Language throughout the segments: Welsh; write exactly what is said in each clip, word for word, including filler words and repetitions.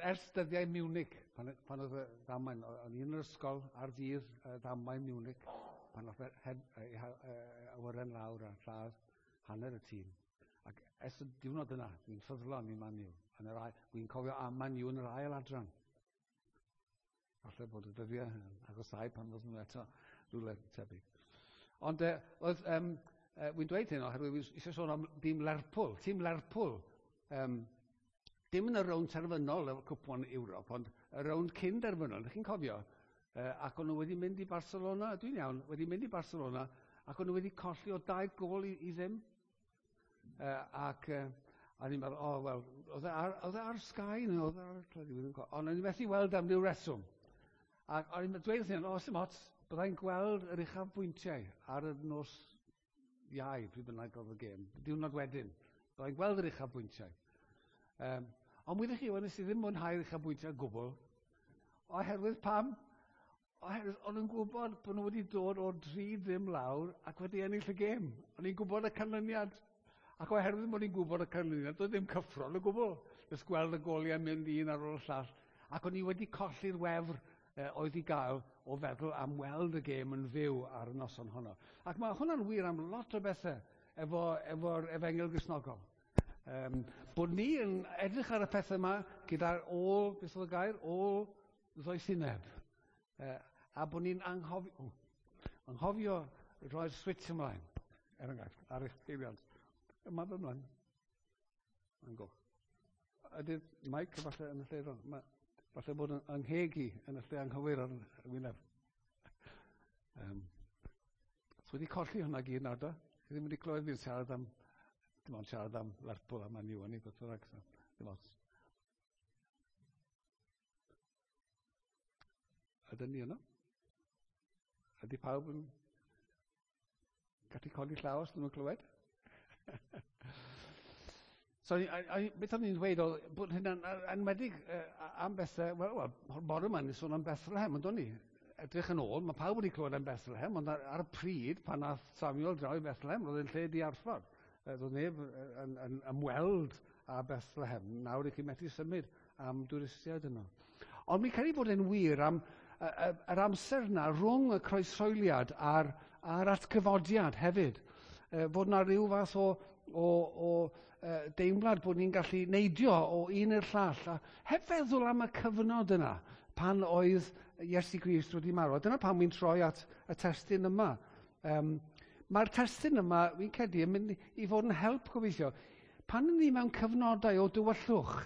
Ers dyddiau Munich, pan, pan oedd y ddamwain, o'n i yn yr ysgol ar ddydd y ddamwain Munich, pan oedd awyren lawr a lladd hanner y tîm. Ac ers y diwrnod yna, dwi'n ffyddlon i Man U. Yn yr ail, dwi'n cofio am Man U yn yr ail adran. Falle bod y dyddiau yn agosau pan fod nhw eto rhywle tebyg. Ond eh, oedd, um, eh, wy'n dweud hyn oherwydd wi eisiau sôn am dîm Lerpwl. Tîm Lerpwl, um, dim yn y rownd terfynol y cwpan Ewrop, ond y rownd cyn derfynol, ydych chi'n cofio? Uh, ac o'n nhw wedi mynd i Barcelona, dwi'n iawn, wedi mynd i Barcelona, ac o'n nhw wedi colli o dau gôl i, i ddim. Uh, ac uh, a ni'n meddwl, o, oh, wel, oedd e ar, oedd e ar Sky neu oedd e ar y teledu, ond o'n i'n methu weld am ryw reswm. Ac o'n i'n dweud wrthyn nhw, o, sim ots, byddai'n gweld yr uchafbwyntiau ar y nos Iau, pryd bynnag oedd y gêm, diwrnod wedyn. Byddai'n gweld yr uchafbwyntiau. Um, ond wyddoch chi, nes i ddim mwynhau'r uchafbwyntiau o gwbl, oherwydd pam? Oherwydd o'n nhw'n gwybod bod nhw wedi dod o'r dri ddim lawr ac wedi ennill y gêm. O'n i'n gwybod y canlyniad. Ac oherwydd bod ni'n gwybod y canlyniad, doedd ddim cyffro o gwbl. Jyst gweld y goliau mynd un ar ôl y llall. Ac o'n i wedi colli'r wefr eh, oedd i gael o feddwl am weld y gêm yn fyw ar y noson honno. Ac mae hwnna'n wir am lot o bethau efo, efo'r efengyl Gristnogol. Um, bod ni yn edrych ar y pethau yma gyda'r ôl, beth oedd y gair, ôl ddoethineb. Uh, a bod ni'n anghofio, oh, anghofio roi'r switch ymlaen, er enghraifft, ar eich peiriant. Yma fy ymlaen. Mae'n goch. Ydy'r mic falle yn y lle rong? Ma, falle bod yn angheg i yn y lle anghywir ar y wyneb. Um, so wedi colli hwnna gyd nawr do? Chi ddim wedi clywed fi'n siarad am, dim ond siarad am Lerpwl a Man U o'n i, beth bynnag, so, dim ots. Ydyn ni yno? Ydy pawb yn gallu codi llaw os nhw'n clywed? So, a, a, beth o'n i'n dweud oedd bod hynna'n enwedig uh, am bethau, wel, wel, bore yma ni'n sôn am Bethlehem, ond o'n i? Edrych yn ôl, mae pawb wedi clywed am Bethlehem, ond ar, ar y pryd, pan nath Samuel draw i Bethlehem, roedd e'n lle diarffordd. Roedd neb yn, yn ymweld â Bethlehem. Nawr i chi methu symud am dwristiaid yno. Ond mi'n credu bod e'n wir am yr amser yna rhwng y croeshoeliad a'r, a'r atgyfodiad hefyd. Fod yna rhyw fath o, o, o deimlad bod ni'n gallu neidio o un i'r llall, a heb feddwl am y cyfnod yna pan oedd Iesu Grist wedi marw. A dyna pam wy'n troi at y testun yma. Um, Mae'r testun yma, fi'n credu, yn mynd i fod yn help gobeithio. Pan ni mewn cyfnodau o dywyllwch,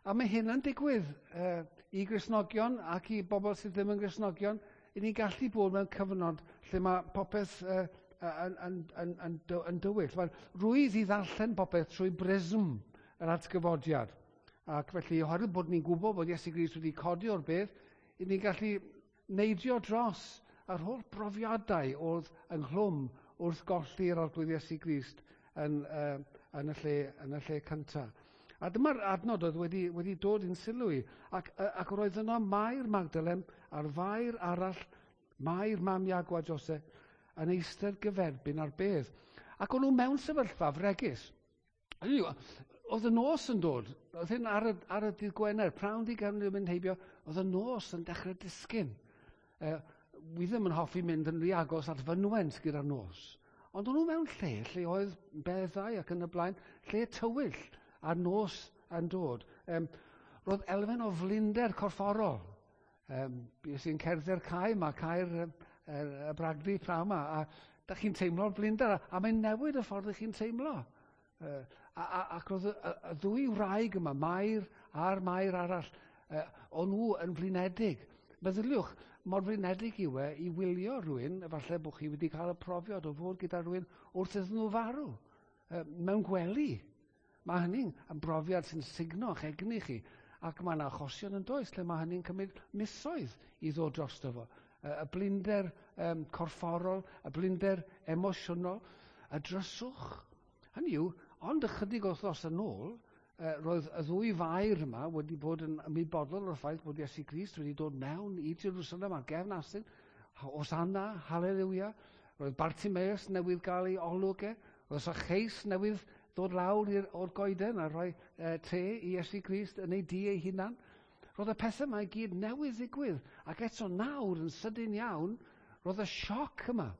a mae hyn yn digwydd uh, i Gristnogion ac i bobl sydd ddim yn Gristnogion, i ni'n gallu bod mewn cyfnod lle mae popeth uh, yn, yn, yn, yn, yn dywyll. Mae'n rwydd i ddarllen popeth trwy brism yr atgyfodiad. Ac felly, oherwydd bod ni'n gwybod bod Iesu Grist wedi codi o'r bedd, i ni'n gallu neidio dros yr holl brofiadau oedd ynghlwm wrth golli'r Arglwydd Iesu Grist yn, uh, yn, y lle, yn y lle cyntaf. A dyma'r adnod oedd wedi, wedi dod i'n sylw i, ac, ac roedd yno Mair Magdalen a'r Fair arall, Mair mam Iago a Jose, yn eistedd gyferbyn ar bedd. Ac o'n nhw mewn sefyllfa fregus. Oedd y nos yn dod, oedd hyn ar y, ar y dydd Gwener, prawn di gefn mynd heibio, oedd y nos yn dechrau disgyn. E, wi ddim yn hoffi mynd yn rhy agos at fynwent gyda'r nos. Ond o'n nhw mewn lle, lle oedd beddau ac yn y blaen, lle tywyll a'r nos yn dod. Um, roedd elfen o flinder corfforol. Um, bues i'n cerdded cae yma, cae'r y, y, y bragdy prawn yma, a da chi'n teimlo'r blinder, a, a mae'n newid y ffordd ych chi'n teimlo. Uh, a, a, ac roedd y, y, y ddwy wraig yma, Mair a'r Mair arall, uh, o'n nhw yn flinedig. Meddyliwch, mor flinedig yw e i wylio rhywun, efallai bod chi wedi cael y profiad o fod gyda rhywun wrth iddyn nhw farw, uh, mewn gwely. Mae hynny'n yn brofiad sy'n sugno eich egni chi, ac mae yna achosion yn does lle mae hynny'n cymryd misoedd i ddod drosto fo. Y blinder um, corfforol, y blinder emosiynol, y dryswch. Hynny yw, ond ychydig o wythnos yn ôl, uh, roedd y ddwy fair yma wedi bod yn ymwybodol o'r ffaith bod Iesu Grist wedi dod mewn i Jerusalem ar gefn asyn, Hosanna, haleluia. Roedd Bartimeus newydd gael ei olwg e, roedd Zacchaeus newydd ddod lawr o'r goeden a rhoi uh, te i Iesu Grist yn ei dŷ ei hunan. Roedd y pethau yma i gyd newydd ddigwydd, ac eto nawr yn sydyn iawn, roedd y sioc yma.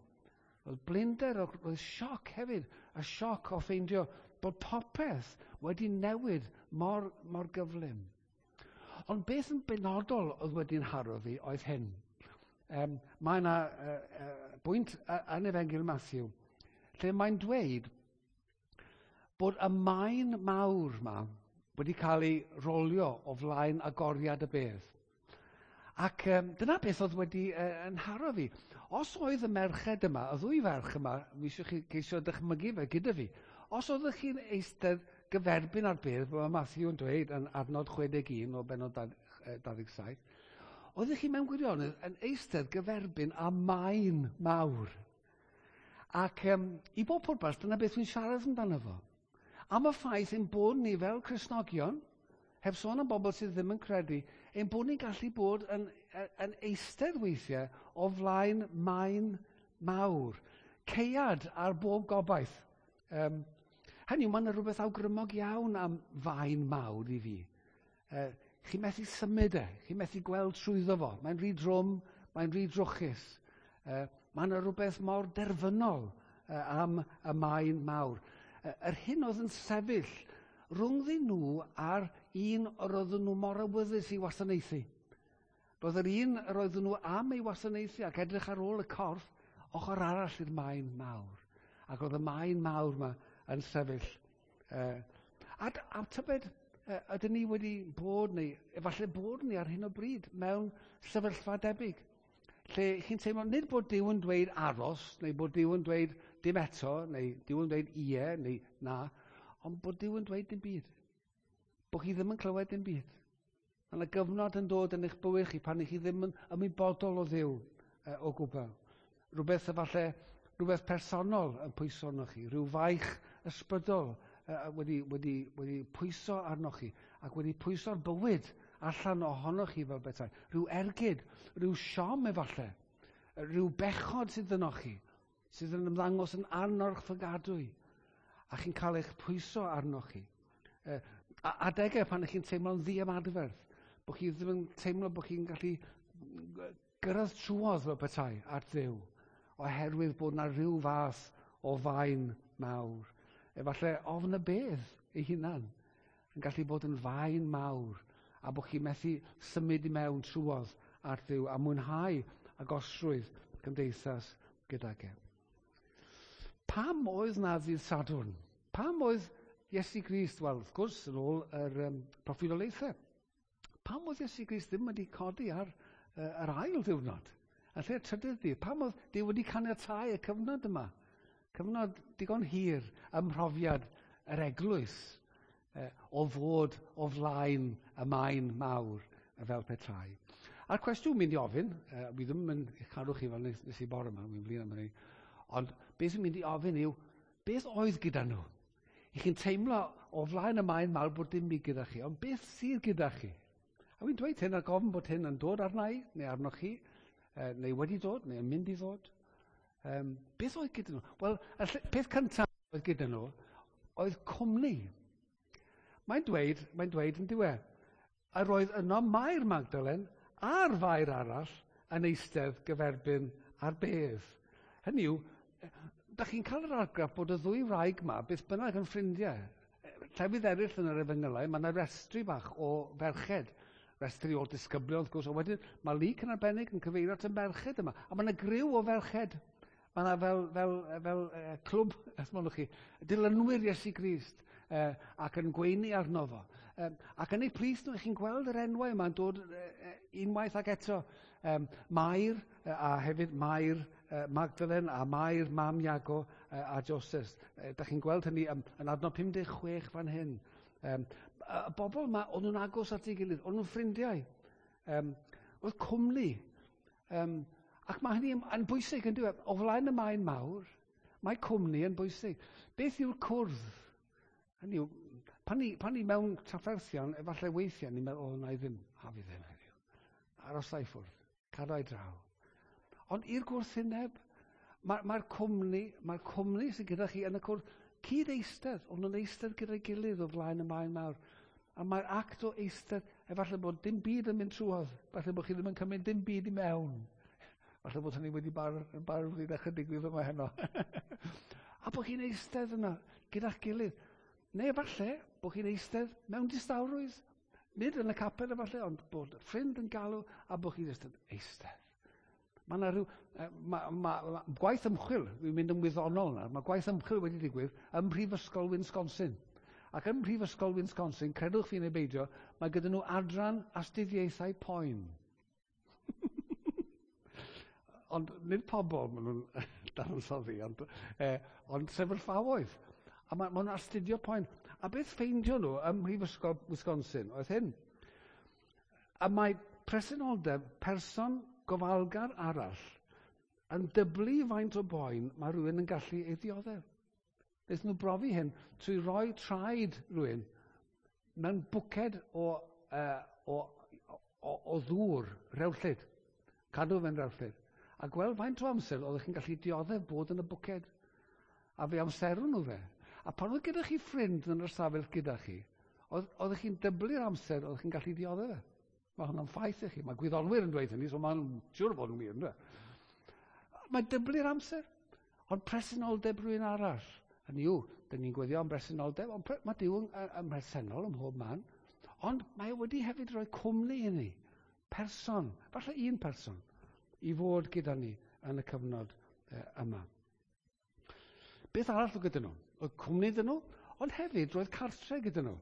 Roedd blinder, roedd sioc hefyd, y sioc o ffeindio bod popeth wedi newid mor, mor gyflym. Ond beth yn benodol oedd wedi'n haro fi oedd hyn. Um, mae yna uh, uh, bwynt yn Efengyl Matthew, lle mae'n dweud bod y maen mawr yma wedi cael ei rolio o flaen agoriad y bedd. Ac um, dyna beth oedd wedi uh, yn haro fi. Os oedd y merched yma, y ddwy ferch yma, mi eisiau chi ceisio dychmygu fe gyda fi, os oeddech chi'n eistedd gyferbyn ar bedd, fel mae Matthew yn dweud yn adnod chwe deg un o bennod dau ddeg saith, oeddech chi mewn gwirionedd yn eistedd gyferbyn â maen mawr. Ac um, i bob pwrpas, dyna beth dwi'n siarad amdano fo. Am y ffaith ein bod ni fel Cristnogion, heb sôn am bobl sydd ddim yn credu, ein bod ni'n gallu bod yn, yn eistedd weithiau o flaen maen mawr. Caead ar bob gobaith. Um, hynny yw, mae yna rhywbeth awgrymog iawn am faen mawr i fi. Uh, chi methu symud e, chi methu gweld trwyddo fo. Mae'n rhy drwm, mae'n rhy drwchus. Uh, mae yna rhywbeth mor derfynol uh, am y maen mawr. Uh, yr hyn oedd yn sefyll rhwngddyn nhw a'r un yr oedden nhw mor awyddus i wasanaethu. Roedd yr un yr oedden nhw am ei wasanaethu ac edrych ar ôl y corff ochr arall i'r maen mawr. Ac oedd y maen mawr yma yn sefyll. Uh, a, a tybed, uh, ydyn ni wedi bod neu, efallai bod ni ar hyn o bryd mewn sefyllfa debyg, lle chi'n teimlo nid bod Duw yn dweud aros, neu bod Duw yn dweud dim eto, neu Duw yn dweud ie, neu na, ond bod Duw yn dweud dim byd. Bod chi ddim yn clywed dim byd. Mae yna gyfnod yn dod yn eich bywyd chi pan chi ddim yn ymwybodol o Dduw uh, o gwbl. Rhywbeth efallai, rhywbeth personol yn pwyso arnoch chi, rhyw faich ysbrydol uh, wedi, wedi, wedi pwyso arnoch chi ac wedi pwyso'r bywyd allan ohonoch chi fel bethau. Rhyw ergyd, rhyw siom efallai, rhyw bechod sydd ynoch chi, sydd yn ymddangos yn anorchfygadwy, a chi'n cael eich pwyso arnoch chi. Uh, adegau pan ych chi'n teimlo'n ddiymadferth, bod chi ddim yn teimlo bod chi'n gallu gyrraedd trwodd fel petai at Dduw, oherwydd bod yna rhyw fath o faen mawr. Efallai ofn y bedd ei hunan yn gallu bod yn faen mawr, a bod chi'n methu symud i mewn trwodd at Dduw a mwynhau agosrwydd cymdeithas gydag e. Pam oedd na ddydd Sadwrn? Pam oedd Iesu Grist, wel, wrth gwrs, yn ôl yr um, proffwydoliaethau, pam oedd Iesu Grist ddim wedi codi ar uh, yr ail ddiwrnod? A lle'r trydydd dydd? Pam oedd Duw wedi caniatáu y cyfnod yma? Cyfnod digon hir ym mhrofiad yr eglwys uh, o fod o flaen y maen mawr fel petai. A'r cwestiwn mynd i ofyn, uh, wi ddim yn eich cadw chi fel nes, nes i bore yma, wi'n flin am hynny, ond beth sy'n mynd i ofyn yw, beth oedd gyda nhw? I chi'n teimlo o flaen y maen mawr bod dim byd gyda chi, ond beth sydd gyda chi? A wi'n dweud hyn ar gofyn bod hyn yn dod arna i, neu arnoch chi, neu wedi dod, neu yn mynd i ddod. Um, beth oedd gyda nhw? Wel, y peth cyntaf oedd gyda nhw oedd cwmni. Mae'n dweud, mae'n dweud yn diwedd, yr oedd yno Mair Magdalen a'r Fair arall yn eistedd gyferbyn ar bedd. Hynny yw, da chi'n cael yr argraff bod y ddwy wraig yma beth bynnag yn ffrindiau. Llefydd eraill yn yr efengylau, mae yna restri bach o ferched, restri o disgyblion, wrth gwrs, ond wedyn mae Luc yn arbennig yn cyfeirio at y merched yma, a mae yna griw o ferched. Mae yna fel, fel, fel uh, clwb, os mynwch chi, dilynwyr Iesu Grist, uh, ac yn gweini arno fo. Um, ac yn eu plith nhw, chi'n gweld yr enwau yma'n dod uh, unwaith ac eto. Um, Mair, uh, a hefyd Mair uh, Magdalen, a Mair mam Iago uh, a Joses. Uh, da chi'n gweld hynny um, yn adnod pum deg chwech fan hyn. Um, y bobl yma, o'n nhw'n agos at ei gilydd, o'n nhw'n ffrindiau. Um, oedd cwmni. Um, ac mae hynny yn bwysig yn dweud, o flaen y maen mawr, mae cwmni yn bwysig. Beth yw'r cwrdd? Hynny yw, pan ni, pan ni mewn trafferthion, efallai weithiau, ni'n meddwl, o, na i ddim, a fi ddim heddiw. Aros i ffwrdd, cadw i draw. Ond i'r gwrthwyneb, mae'r mae cwmni, mae'r cwmni sydd gyda chi yn y cwrdd, cyd eistedd, ond nhw'n eistedd gyda'i gilydd o flaen y maen mawr. A mae'r act o eistedd Efallai bod dim byd yn mynd trwodd. Falle bod chi ddim yn cymryd dim byd i mewn. Falle bod hynny wedi bar, bar wedi dechrau digwydd yma heno. A bod chi'n eistedd yna gyda'ch gilydd. Neu efallai bod chi'n eistedd mewn distawrwydd. Nid yn y capel efallai, ond bod ffrind yn galw a bod chi'n eistedd. Eistedd. Mae yna rhyw... Ma, ma, ma, gwaith ymchwil, dwi'n mynd yn wyddonol nawr, mae gwaith ymchwil wedi digwydd ym Mhrifysgol Wisconsin. Ac ym Mhrifysgol Wisconsin, credwch fi neu beidio, mae gyda nhw adran astudiaethau poen. Ond nid pobl maen nhw'n dadansoddi, ond, eh, ond sefyllfaoedd. A ma, ma nhw'n astudio poen. A beth ffeindio nhw ym Mhrifysgol Wisconsin oedd hyn. A mae presenoldeb person gofalgar arall yn dyblu faint o boen mae rhywun yn gallu ei ddioddef. Wnaethon nhw brofi hyn trwy roi traed rhywun mewn bwced o, uh, o, o, o ddŵr rewllyd. Cadw fe'n rewllyd. A gweld faint o amser oeddech chi'n gallu dioddef bod yn y bwced. A fe amserwn nhw fe. A pan oedd gyda chi ffrind yn yr ystafell gyda chi, oedd, oeddech chi'n dyblu'r amser oeddech chi'n gallu dioddef fe. Mae hwnna'n ffaith i chi. Mae gwyddonwyr yn dweud hynny, so mae'n siŵr bod yn wir, ynddo? Mae dyblu'r amser. Ond presenoldeb rhywun arall. Hynny yw, dyn ni'n gweddio am bresenoldeb, ond pre mae Duw yn, yn bresennol ym mhob man. Ond mae e wedi hefyd rhoi cwmni i ni. Person, falle un person, i fod gyda ni yn y cyfnod eh, yma. Beth arall oedd gyda nhw? Oedd cwmni iddyn nhw, ond hefyd roedd cartre gyda nhw.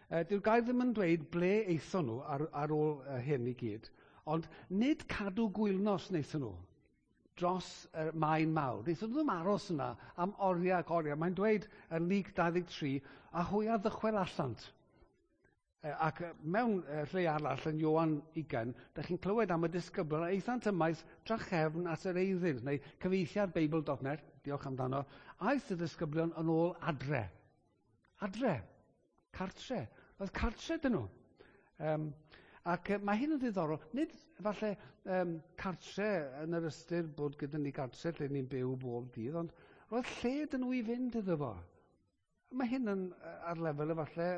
E, dyw'r gair ddim yn dweud ble aethon nhw ar, ar ôl hyn i gyd, ond nid cadw gwylnos wnaethon nhw dros y maen mawr. Wnaethon nhw ddim aros yna am oriau ac oriau. Mae'n dweud yn Luc dau ddeg tri, a hwy a ddychwelasant. E, ac mewn lle arall yn Ioan ugain, da chi'n clywed am y disgyblion a aethant ymaith drachefn at yr eiddynt, neu cyfieithiad Beibl dot net, diolch amdano, aeth y disgyblion yn ôl adre. Adre. Cartre. Oedd cartre dyn nhw. Um, ac mae hyn yn ddiddorol. Nid falle um, cartre yn yr ystyr bod gyda ni cartre lle ni'n byw bob dydd, ond roedd lle dyn nhw i fynd iddo fo. Mae hyn yn ar lefel efallai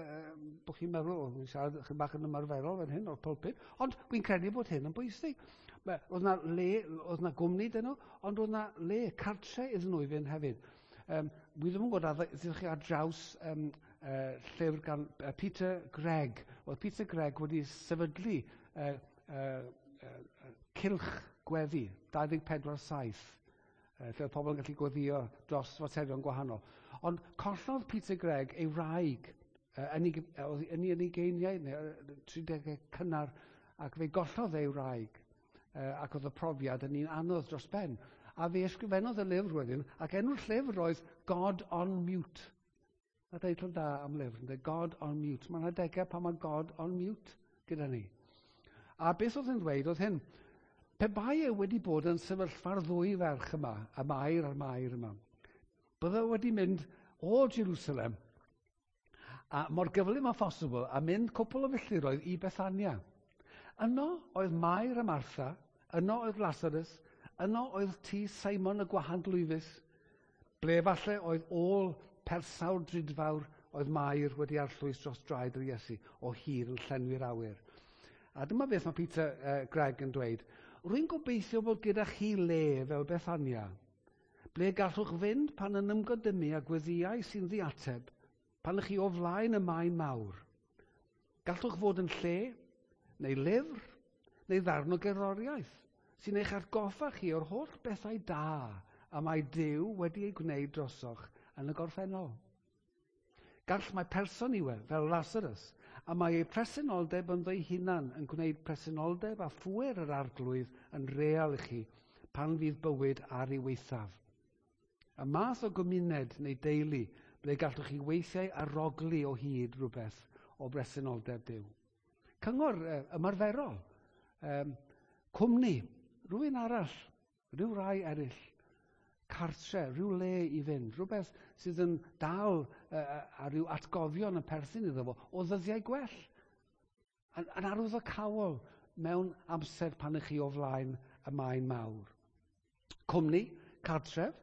bod chi'n meddwl, o, fi'n siarad chydig bach yn ymarferol fan hyn o'r pulpit, ond dwi'n credu bod hyn yn bwysig. Oedd na le, oedd na gwmni dyn nhw, ond oedd na le, cartre iddyn nhw i fynd hefyd. Um, wi ddim yn gwybod a ddech chi ar draws um, uh, llyfr gan uh, Peter Gregg. Oedd Peter Gregg wedi sefydlu uh, uh, uh, cylch gweddi, dau ddeg pedwar saith, uh, lle oedd pobl yn gallu gweddio dros faterion gwahanol. Ond collodd Peter Gregg ei wraig uh, yn ei, yn ei ugeiniau, neu tri degau cynnar, ac fe gollodd ei wraig, uh, ac oedd y profiad yn un anodd dros ben. A fe ysgrifennodd y lyfr wedyn, ac enw'r llyfr oedd God on Mute. Na deitl da am lyfr, ynddo? God on Mute. Mae'n adegau pan mae God on Mute gyda ni. A beth oedd yn dweud oedd hyn, pe bai e wedi bod yn sefyllfa'r ddwy ferch yma, y Mair a'r Mair yma, bydde wedi mynd o Jerusalem, a mor gyflym â phosibl, a mynd cwpl o filltiroedd i Bethania. Yno oedd Mair a Martha, yno oedd Lazarus, yno oedd tŷ Simon y gwahanglwyfus, ble falle oedd ôl persawr drudfawr oedd Mair wedi arllwys dros draed yr Iesu o hir yn llenwi'r awyr. A dyma beth mae Peter uh, Gregg yn dweud. Rwy'n gobeithio bod gyda chi le fel Bethania, ble gallwch fynd pan yn ymgodymu a gweddiau sy'n ddiateb, pan ych chi o flaen y maen mawr. Gallwch fod yn lle, neu lyfr, neu ddarn o gerddoriaeth, sy'n eich atgoffa chi o'r holl bethau da a mae Duw wedi ei gwneud drosoch yn y gorffennol. Gall mae person i we, fel Lazarus, a mae ei presenoldeb ynddo'i hunan yn gwneud presenoldeb a phŵer yr arglwydd yn real i chi pan fydd bywyd ar ei waethaf. Y math o gymuned neu deulu ble gallwch chi weithiau arogli o hyd rhywbeth o bresenoldeb Duw. Cyngor eh, ymarferol, um, cwmni, rhywun arall, rhyw rai eraill, cartre, rhyw le i fynd, rhywbeth sydd yn dal uh, a rhyw atgofion yn perthyn iddo fo o ddyddiau gwell. Yn, yn arwyddocaol mewn amser pan ych chi o flaen y maen mawr. Cwmni, cartref,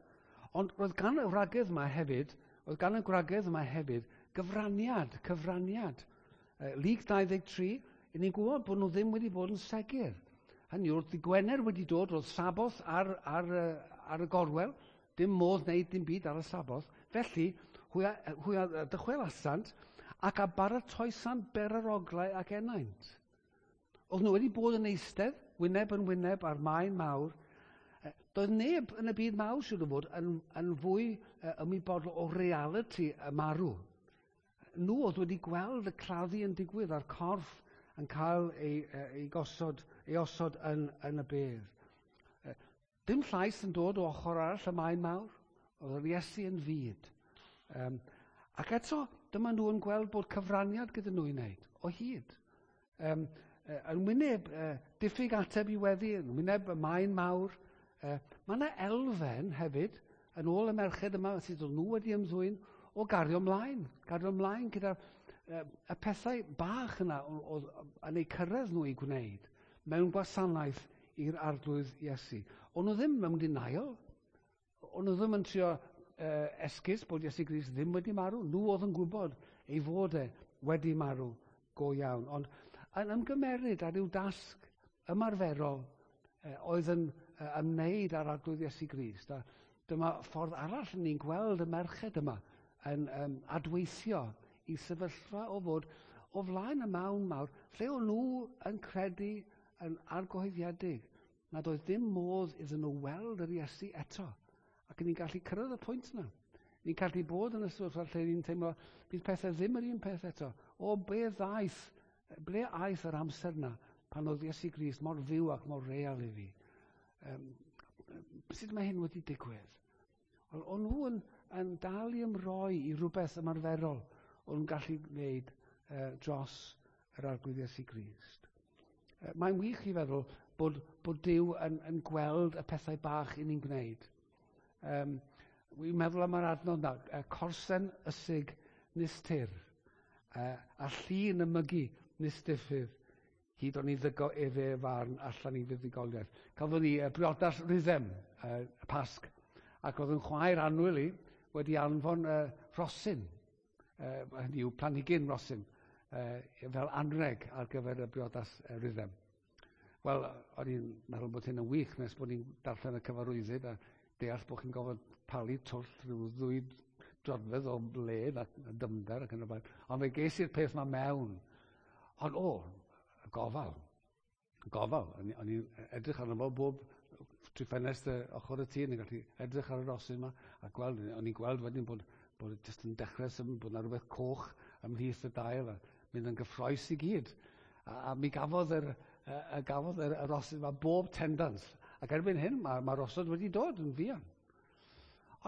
ond roedd gan y wragedd yma hefyd, roedd gan y gwragedd yma hefyd gyfraniad, cyfraniad. Uh, Luc dau ddeg tri, I ni'n gwybod bod nhw ddim wedi bod yn segur. Hynny yw, dydd Gwener wedi dod, roedd Saboth ar, ar, ar y gorwel, dim modd wneud dim byd ar y Saboth. Felly, hwy a, hwy a dychwelasant ac a baratoesant beraroglau ac ennaint. Oedd nhw wedi bod yn eistedd, wyneb yn wyneb ar maen mawr. Doedd neb yn y byd mawr, siŵr o fod, yn, yn fwy ymwybodol o realiti y marw. Nhw oedd wedi gweld y claddu yn digwydd a'r corff yn cael ei, ei, gosod, ei osod yn, yn y bedd. Dim llais yn dod o ochr arall y maen mawr. Oedd yr Iesu yn fud. Um, ac eto, dyma nhw yn gweld bod cyfraniad gyda nhw i wneud, o hyd. Um, yn wyneb uh, diffyg ateb i weddi, yn wyneb y maen mawr. Uh, mae yna elfen hefyd, yn ôl y merched yma, sydd oedd nhw wedi ymddwyn, o gario ymlaen. Gario ymlaen gyda'r uh, y pethau bach yna oedd yn eu cyrraedd nhw i gwneud mewn gwasanaeth i'r Arglwydd Iesu. O'n nhw ddim mewn denial. O'n nhw ddim yn trio uh, esgus bod Iesu Grist ddim wedi marw. Nhw oedd yn gwybod ei fod e wedi marw go iawn. Ond yn ymgymeryd ar ryw dasg ymarferol uh, oedd yn uh, ymwneud â'r Arglwydd Iesu Grist. A dyma ffordd arall ni'n gweld y merched yma yn um, adweithio i sefyllfa o fod o flaen y mawn mawr, lle o'n nhw yn credu yn argyhoeddiedig nad oedd dim modd iddyn nhw weld yr Iesu eto. Ac ni'n gallu cyrraedd y pwynt yna. Ni'n gallu bod yn y sefyllfa lle ni'n teimlo bydd pethau ddim yr un peth eto. O, be ddaeth, ble aeth yr amser yna pan oedd Iesu Grist mor fyw ac mor real i fi? Um, sut mae hyn wedi digwydd? Wel, o'n nhw yn, yn dal i ymroi i rhywbeth ymarferol o'n nhw'n gallu gwneud uh, dros yr Arglwydd Iesu Grist. Uh, mae'n wych i feddwl bod, bod Duw yn, yn gweld y pethau bach i ni'n gwneud. Um, Wi'n meddwl am yr adnod yna, uh, corsen ysig nis tir, uh, a llun ymygu nis diffydd, hyd o'n i ddygo efe farn allan i fuddugoliaeth. Cafon ni uh, briodas rhythm, uh, y Pasg, ac oedd yn chwaer annwyl i wedi anfon uh, rhosyn, uh, hynny yw planhigyn rhosyn, uh, fel anreg ar gyfer y briodas uh, rhythm. Wel, o'n i'n meddwl bod hyn yn wych nes bod ni'n darllen y cyfarwyddyd a deall bod chi'n gofod palu twll rhyw ddwy droedfedd o led a dymder ac yn y blaen. Ond fe ges i'r peth yma mewn. Ond o, y gofal. Y gofal. O'n i'n edrych arno fo bob trwy ffenest ochr y tŷ, o'n i'n gallu edrych ar y rosyn yma a gweld, o'n i'n gweld wedyn bod, bod jyst yn dechrau symud, bod yna rhywbeth coch ymhlith y dail a mynd yn gyffrous i gyd. A, a mi gafodd yr, a, a gafodd yr, y rosyn yma bob tendans. Ac erbyn hyn, mae, mae rosod wedi dod yn fuan.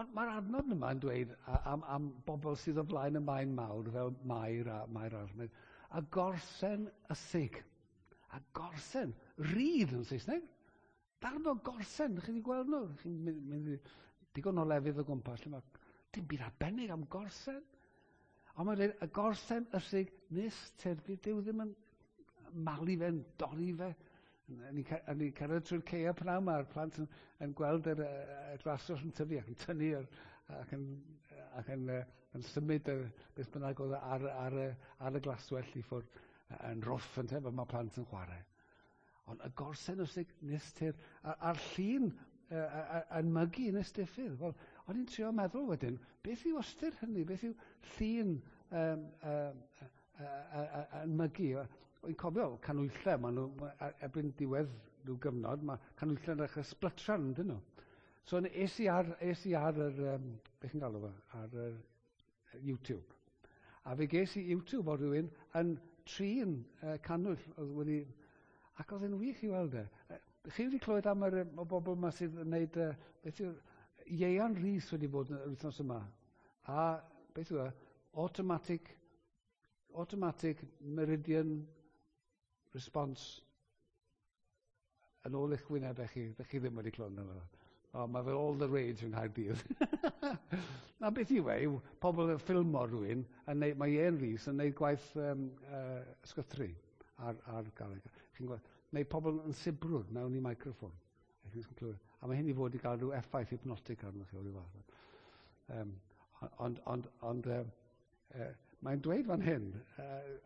Ond mae'r adnod yma yn dweud am, am bobl sydd o flaen y maen mawr, fel Mair a Mair arall. A gorsen ysig. A gorsen, reed yn Saesneg. Darn o gorsen, chi wedi gweld nhw? Chi'n mynd, mynd digon o lefydd o gwmpas, lle mae dim byd arbennig am gorsen. Ond mae'n dweud, y gorsen ysig nis tir, bydd Duw ddim yn malu fe'n dorri fe. Ni'n ni cerdded trwy'r ceia pnawn, mae'r plant yn, yn gweld yr, y glaswellt yn tyfu ac yn tynnu yr, ac yn, ac yn, yn symud y, beth bynnag oedd ar, ar, ar y glaswellt i ffwrdd yn rwff yn te, fel mae plant yn chwarae. Ond y gorsen ysig nis tir, a'r llun yn mygu nes diffydd. Wel, o'n i'n trio meddwl wedyn, beth yw ystyr hynny? Beth yw llun um, um, yn mygu? O'n cofio canwyllau, maen nhw, erbyn diwedd rhyw gyfnod, mae canwyllau yn dechrau sblytran, dyn nhw. So es i ar, es i ar yr, um, beth chi'n galw fe, ar yr YouTube. A fe ges i YouTube o rhywun yn trin uh, canwyll oedd wedi, ac oedd e'n wych i weld e. Chi wedi clywed am yr, y bobl yma sydd yn gwneud, uh, beth yw'r, Ieuan Rhys wedi bod yn yr wythnos yma. A beth yw e, automatic, automatic meridian response yn ôl eich wynebau chi, ydych chi ddim wedi clywed yna. O, mae fel all the rage yng Nghaerdydd. Na beth yw e, yw pobl yn ffilmo rhywun, yn neud, mae Ieuan Rhys yn neud gwaith um, uh, ysgythru ar, ar galeg. Chi'n gweld, neu pobl yn sibrwd mewn i microffon. A mae hyn i fod i gael rhyw effaith hypnotic arno chi o ryw fath. Um, ond, ond, ond uh, uh, Mae'n dweud fan hyn uh,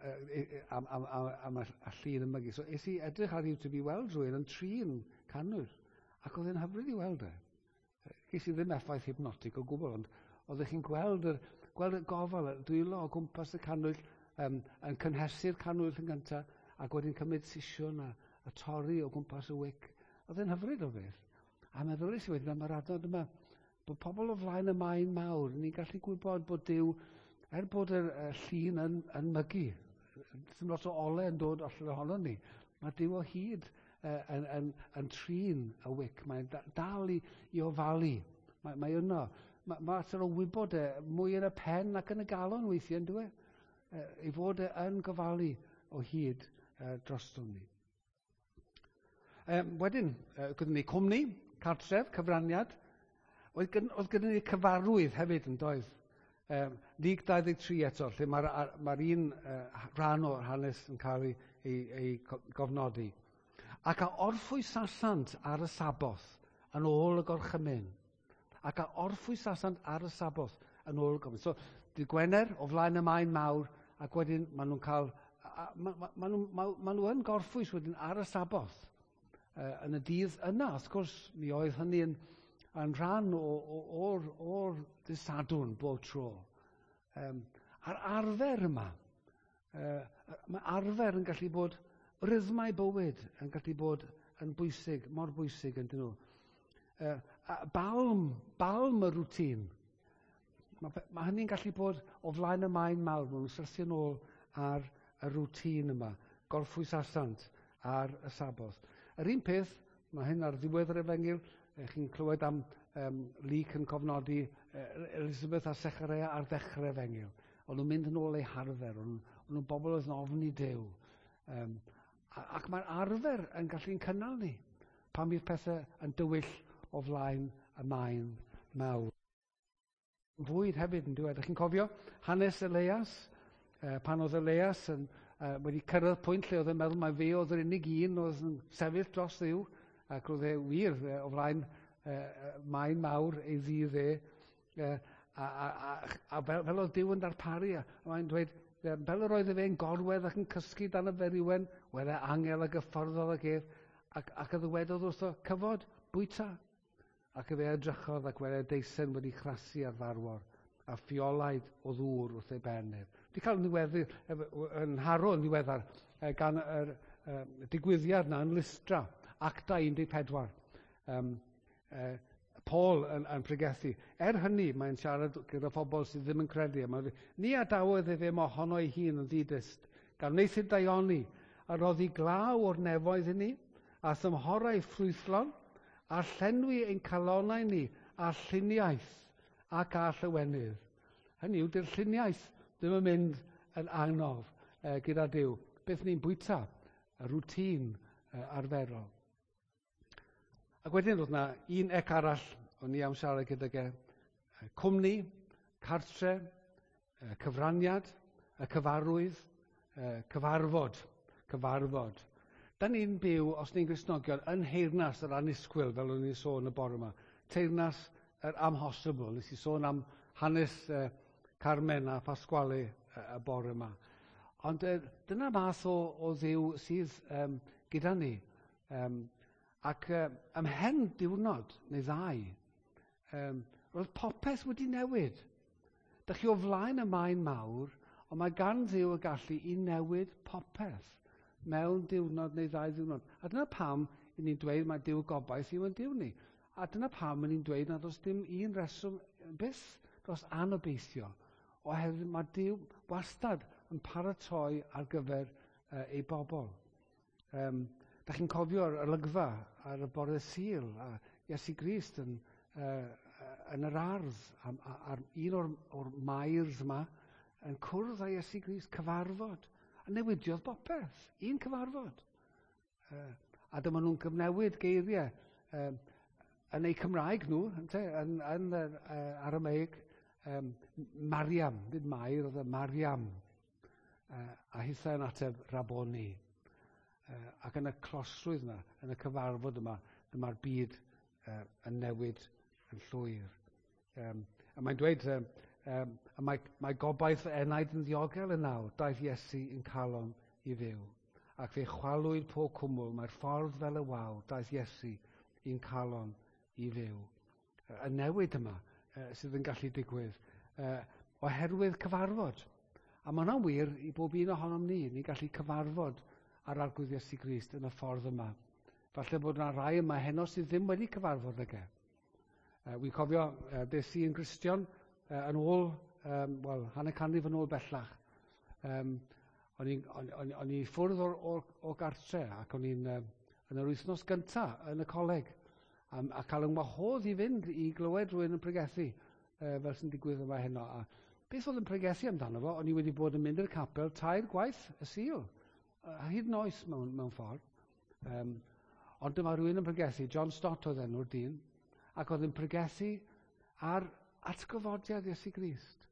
uh, am, am, am, am y llun yn mygu. So es i edrych ar YouTube i weld rhywun yn trin cannwyll, ac oedd e'n hyfryd i weld e. Ges i ddim effaith hypnotic o gwbl, ond oeddech chi'n gweld, yr, gweld y gofal, y dwylo o gwmpas y cannwyll, um, yn cynhesu'r cannwyll yn gyntaf, ac wedyn cymryd sisiwn a, a torri o gwmpas y wic. Oedd e'n hyfryd o beth. A meddyliais i wedyn am yr adnod yma, bod pobl o flaen y maen mawr, ni'n gallu gwybod bod Duw, er bod y, y llun yn, yn mygu, ddim lot o ole yn dod allan ohono ni, mae Duw o hyd uh, yn, yn, yn trin y wic, mae'n dal i, i ofalu, mae, mae yno. Mae, mae mater o wybod e mwy yn y pen ac yn y galon weithiau, yn dwi? E, ei fod e yn gofalu o hyd uh, droston ni. Um, wedyn, uh, gyda ni cwmni, cartref, cyfraniad. Oedd, gyn, oedd gyda ni cyfarwydd hefyd yn doedd. Um, Luc dau ddeg tri eto, lle mae'r mae un uh, rhan o'r hanes yn cael ei, ei, ei gofnodi. Ac a orffwysasant ar y Saboth yn ôl y gorchymyn. Ac a orffwysasant ar y Saboth yn ôl y gorchymyn. So, dydd Gwener o flaen y maen mawr, ac wedyn maen nhw'n cael, ma, ma, ma nhw, ma, ma nhw yn gorffwys wedyn ar y Saboth. Uh, yn y dydd yna, wrth gwrs, mi oedd hynny yn, yn rhan o'r, o'r dydd Sadwrn bob tro. Um, a'r arfer yma, uh, mae arfer yn gallu bod, rhythmau bywyd yn gallu bod yn bwysig, mor bwysig yn dyn nhw. Uh, a balm, balm y rwtîn. Mae, mae hynny'n gallu bod o flaen y maen mawr, maen nhw'n syrthio nôl ar y rwtîn yma, gorffwysasant ar y Saboth. Yr un peth, mae hyn ar ddiwedd yr efengyl, chi'n clywed am um, Luc yn cofnodi Elizabeth a Sechareia ar ddechrau efengyl. O'n nhw'n mynd yn ôl eu harfer, o'n nhw'n bobl oedd yn ofni Duw. Um, ac mae'r arfer yn gallu'n cynnal ni pan bydd pethau yn dywyll o flaen y maen mawr. Fwyd hefyd yn dweud. Chi'n cofio hanes Elias, pan oedd Elias yn, uh, wedi cyrraedd pwynt lle oedd yn meddwl mai fe oedd yr unig un oedd yn sefyll dros Dduw, ac roedd e wir o flaen uh, maen mawr ei ddydd e, uh, a, a, a, a fel, fel oedd Duw yn darparu, a mae'n dweud, fel yr oedd fe'n gorwedd ac yn cysgu dan y feriwen, wele angel a gyfforddodd ag ef, ac, ac a ddywedodd wrtho, cyfod, bwyta. Ac efe edrychodd ac wele deisen wedi chrasu ar farwor, a ffiolaid o ddŵr wrth ei ben ef. Wedi cael niweddu, yn haro yn ddiweddar gan yr uh, digwyddiad na yn Lystra, Acta un deg pedwar. Um, uh, Paul yn, yn pregethu. Er hynny, mae'n siarad gyda phobl sydd ddim yn credu. Mae'n, ni adawodd efe mohono ei hun yn ddidyst, gan wneuthur daioni, a roddi glaw o'r nefoedd i ni, a thymhorau ffrwythlon, a llenwi ein calonau ni, a lluniaeth ac a llywenydd. Hynny yw, dy'r lluniaeth ddim yn mynd yn angof eh, gyda Duw. Beth ni'n bwyta, y rwtîn eh, arferol. Ac wedyn roedd yna un ec arall o'n i am siarad gydag e, cwmni, cartre, cyfraniad, y cyfarwydd, cyfarfod, cyfarfod. Da ni'n byw, os ni'n Gristnogion, yn nheyrnas yr annisgwyl, fel o'n i'n sôn y bore yma. Teyrnas yr amhosibl. Nes i sôn am hanes uh, Carmen a Pasquale y, y bore yma. Ond uh, dyna math o, o Dduw sydd um, gyda ni. Um, ac uh, ymhen diwrnod neu ddau, um, roedd popeth wedi newid. Dych chi o flaen y maen mawr, ond mae gan Dduw y gallu i newid popeth mewn diwrnod neu ddau ddiwrnod. A dyna pam i ni'n dweud mae Duw gobaith yw yn Duw ni. A dyna pam i ni'n dweud nad oes dim un reswm byth dros anobeithio, oherwydd mae Duw wastad yn paratoi ar gyfer uh, ei bobl. Um, da chi'n cofio'r olygfa ar y bore Sul, a Iesu Grist yn, uh, yn yr ardd, ar un o'r, or mairs yma, yn cwrdd â Iesu Grist, cyfarfod. A newidiodd bopeth, un cyfarfod. Uh, a dyma nhw'n cyfnewid geiriau um, yn eu Cymraeg nhw, ynte, yn, yn uh, Aramaic, um, Mariam, nid Mair, oedd e Mariam. Uh, a hithau yn ateb Raboni. Uh, ac yn y closrwydd yma, yn y cyfarfod yma, dyma'r byd uh, yn newid yn llwyr. Um, a mae'n dweud, um, um, mae, mae gobaith enaid yn ddiogel yn nawr, daeth Iesu yn calon i fyw. Ac fe chwalwyd pob cwmwl, mae'r ffordd fel y wawr, daeth Iesu i'n calon i fyw. Y newid yma uh, sydd yn gallu digwydd uh, oherwydd cyfarfod. A mae hwnna'n wir i bob un ohonom ni. Ni'n gallu cyfarfod ar Arglwydd Iesu Grist yn y ffordd yma. Falle bod yna rai yma heno sydd ddim wedi cyfarfod ag e. Uh, Wi'n cofio, uh, des i yn Gristion uh, yn ôl, um, wel, hanner canrif yn ôl bellach. Um, o'n i'n o'n, o'n, o'n i ffwrdd o'r, or, o gartre ac o'n i'n uh, yn yr wythnos gyntaf yn y coleg a, a cael yng ngwahodd i fynd i glywed rhywun yn pregethu uh, fel sy'n digwydd yma heno. A beth oedd yn pregethu amdano fo, o'n i wedi bod yn mynd i'r capel tair gwaith y Sul, a hyd yn oes mewn, mewn ffordd. Um, ond dyma rhywun yn pregethu, John Stott oedd enw'r dyn, ac oedd yn pregethu ar atgyfodiad Iesu Grist.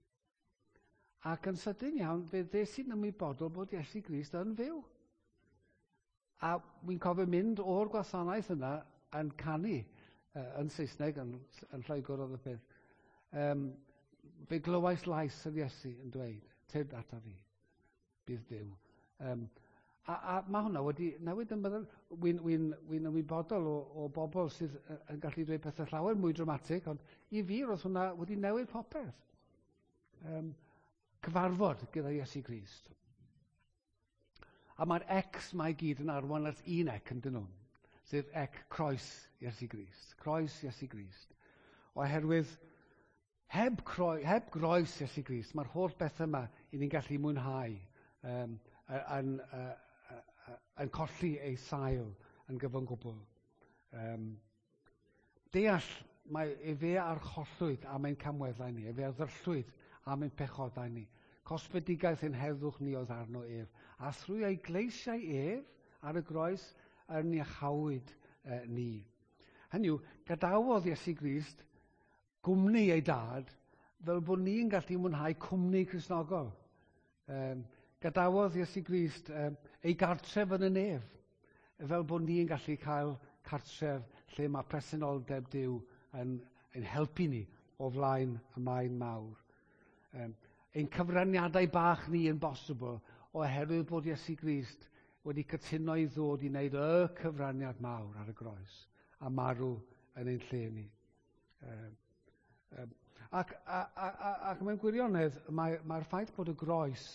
Ac yn sydyn iawn, fe ddes i'n ymwybodol bod Iesu Grist yn fyw. A wy'n cofio mynd o'r gwasanaeth yna yn canu uh, yn Saesneg, yn, yn Lloegr oedd y peth. Um, fe glywais lais yr Iesu yn dweud, tyrd ata fi, bydd Duw. Um, a, a mae hwnna wedi newid yn meddwl, wy'n wy wy ymwybodol o, o bobl sydd yn gallu dweud pethau llawer mwy dramatig, ond i fi roedd hwnna wedi newid popeth. Um, cyfarfod gyda Iesu Grist. A mae'r X mae i gyd yn arwain at un ec yn dyn nhw, sef ec croes Iesu Grist. Croes Iesu Grist. Oherwydd heb, croi, heb groes Iesu Grist, mae'r holl beth yma i ni'n gallu mwynhau um, yn, yn, yn colli ei sail yn gyfan gwbl. Um, deall, mae efe archollwyd am ein camweddau ni, efe ddyrllwyd am ein pechodau ni. Cosbedigaeth ein heddwch ni oedd arno ef. A thrwy ei gleisiau ef ar y groes yn iachawyd eh, ni. Hynny yw, gadawodd Iesu Grist gwmni ei dad fel bod ni'n gallu mwynhau cwmni Cristnogol. Um, gadawodd Iesu Grist um, ei gartref yn y nef fel bod ni'n gallu cael cartref lle mae presenoldeb Duw yn, yn helpu ni o flaen y maen mawr. Um, ein cyfraniadau bach ni yn bosibl oherwydd bod Iesu Grist wedi cytuno i ddod i wneud y cyfraniad mawr ar y groes a marw yn ein lle ni. Um, um, ac, a, a, a, ac mewn gwirionedd, mae'r mae ffaith bod y groes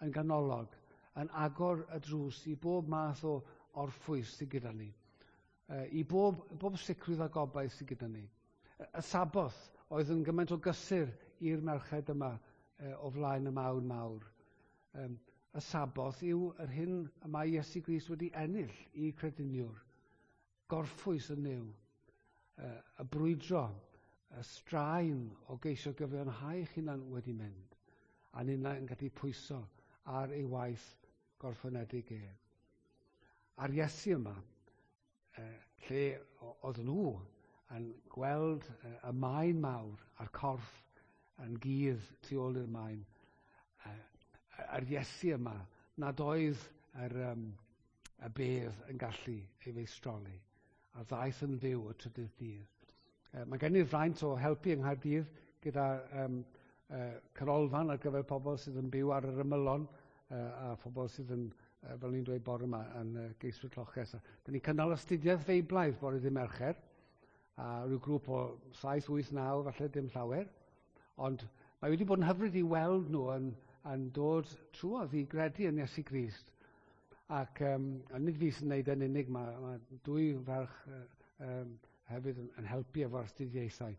yn ganolog yn agor y drws i bob math o orffwys sydd gyda ni, uh, i bob, bob sicrwydd a gobaith sydd gyda ni. Y Saboth oedd yn gymaint o gysur i'r merched yma uh, o flaen y mawn mawr. Um, y Saboth yw yr hyn y mae Iesu Grist wedi ennill i crediniwr. Gorffwys yn Nuw, uh, y brwydro, y straen o geisio gyfiawnhau eich hunan wedi mynd, a ninnau yn gallu pwyso ar ei waith gorffenedig ef. A'r Iesu yma, uh, lle oedd nhw yn gweld uh, y maen mawr a'r corff yn gudd tu ôl i'r maen, uh, a'r Iesu yma nad oedd yr, um, y bedd yn gallu ei feistroli, a ddaeth yn fyw y trydydd dydd. Uh, mae gen i'r fraint o helpu yng Nghaerdydd gyda um, uh, canolfan ar gyfer pobl sydd yn byw ar yr ymylon uh, a phobl sydd yn, uh, fel ni'n dweud bore yma, yn uh, geiswyr lloches. Dyn ni'n cynnal astudiaeth Feiblaidd bore ddydd Mercher, a rhyw grŵp o saith, wyth, naw, falle dim llawer. Ond mae wedi bod yn hyfryd i weld nhw yn, yn dod trwodd i gredu yn Iesu Grist. Ac um, a nid fi sy'n gwneud yn unig, mae, mae dwy ferch uh, um, hefyd yn, yn helpu efo'r astudiaethau.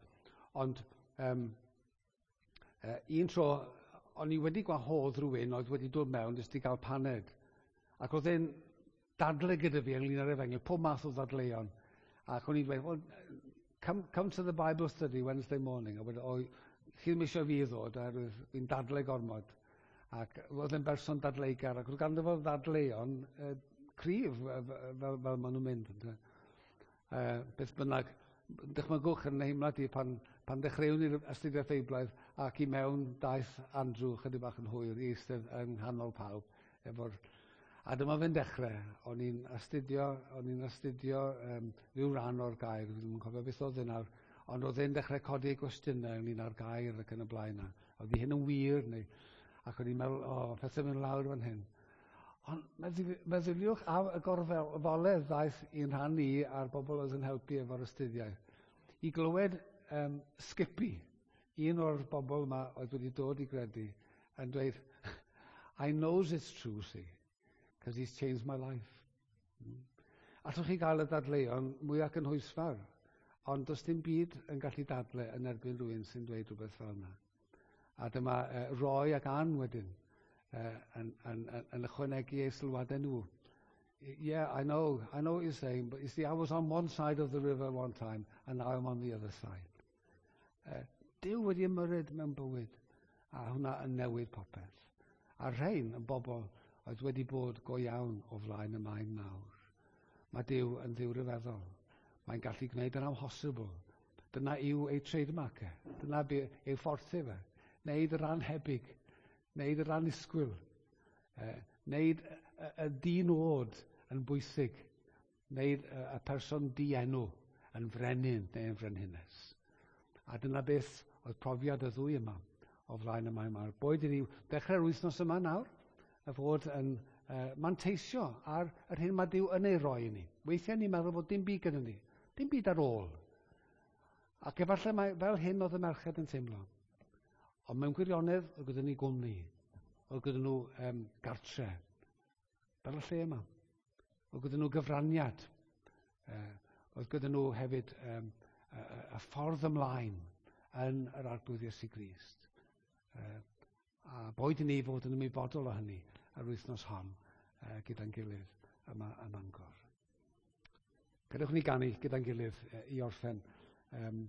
Ond um, uh, un tro, o'n i wedi gwahodd rhywun oedd wedi dod mewn jyst i gael paned. Ac oedd e'n dadle gyda fi ynglyn â'r efengyl, pob math o ddadleuon. Ac o'n i'n dweud, well, come, come to the Bible study Wednesday morning. A wedi, o, chi ddim eisiau fi ddod, oherwydd fi'n dadle gormod. Ac oedd e'n berson dadleugar, ac oedd ganddo fo ddadleuon uh, cryf fel, fel, fel maen nhw'n mynd. Uh, beth bynnag, dychmygwch yn nheimlad i pan, pan dechreuwn ni'r astudiaeth Feiblaidd ac i mewn daeth Andrew chydig bach yn hwyr i eistedd yng nghanol pawb. Efo'r, a dyma fe'n dechrau. O'n i'n astudio, o'n i'n astudio um, rhyw ran o'r gair, fi ddim yn cofio beth oedd e nawr. Ond oedd e'n dechrau codi gwestiynau ynglyn â'r gair ac yn y blaen. Oedd hyn yn wir, neu, ac o'n i'n meddwl, o, oh, pethau mynd lawr fan hyn. Ond meddyliwch am y gorfoledd ddaeth i'n rhan i a'r bobl oedd yn helpu efo'r astudiaeth. I glywed um, Skippy, un o'r bobl yma oedd wedi dod i gredu, yn dweud, "I knows it's true, see, because he's changed my life." Mm. Allwch chi gael y dadleuon mwyaf cynhwysfawr, ond does dim byd yn gallu dadle yn erbyn rhywun sy'n dweud rhywbeth fel yna. A dyma uh, Roy ac Ann wedyn uh, yn, yn, yn, yn ychwanegu eu sylwadau nhw. "Yeah, I know, I know what you're saying, but you see, I was on one side of the river one time, and now I'm on the other side." Uh, Duw wedi ymyrryd mewn bywyd, a hwnna yn newid popeth. A rhain yn bobl oedd wedi bod go iawn o flaen y maen mawr. Mae Duw yn Dduw rhyfeddol. Mae'n gallu gwneud yr amhosibl. Dyna yw ei trademark e. Dyna ei ffordd fe. Neud yr anhebyg. Neud yr annisgwyl. E, neud y, y di-nod yn bwysig. Neud y, y person dienw yn frenin neu yn frenhines. A dyna beth oedd profiad y ddwy yma o flaen y maen mawr. Boed i ni ddechrau'r wythnos yma nawr, y fod yn uh, manteisio ar yr hyn mae Duw yn ei roi i ni. Weithiau ni'n meddwl bod dim byd gyda ni, dim byd ar ôl. Ac efallai mae fel hyn oedd y merched yn teimlo. Ond mewn gwirionedd, oedd gyda ni gwmni, oedd gyda nhw um, gartre, fel y lle yma. Oedd gyda nhw gyfraniad, uh, oedd gyda nhw hefyd um, y, y ffordd ymlaen yn yr Arglwydd Iesu Grist. Uh, a boed i ni fod yn ymwybodol o hynny yr wythnos hon uh, gyda'n gilydd yma ym Mangor. Gadewch ni ganu gyda'n gilydd uh, i orffen. Um,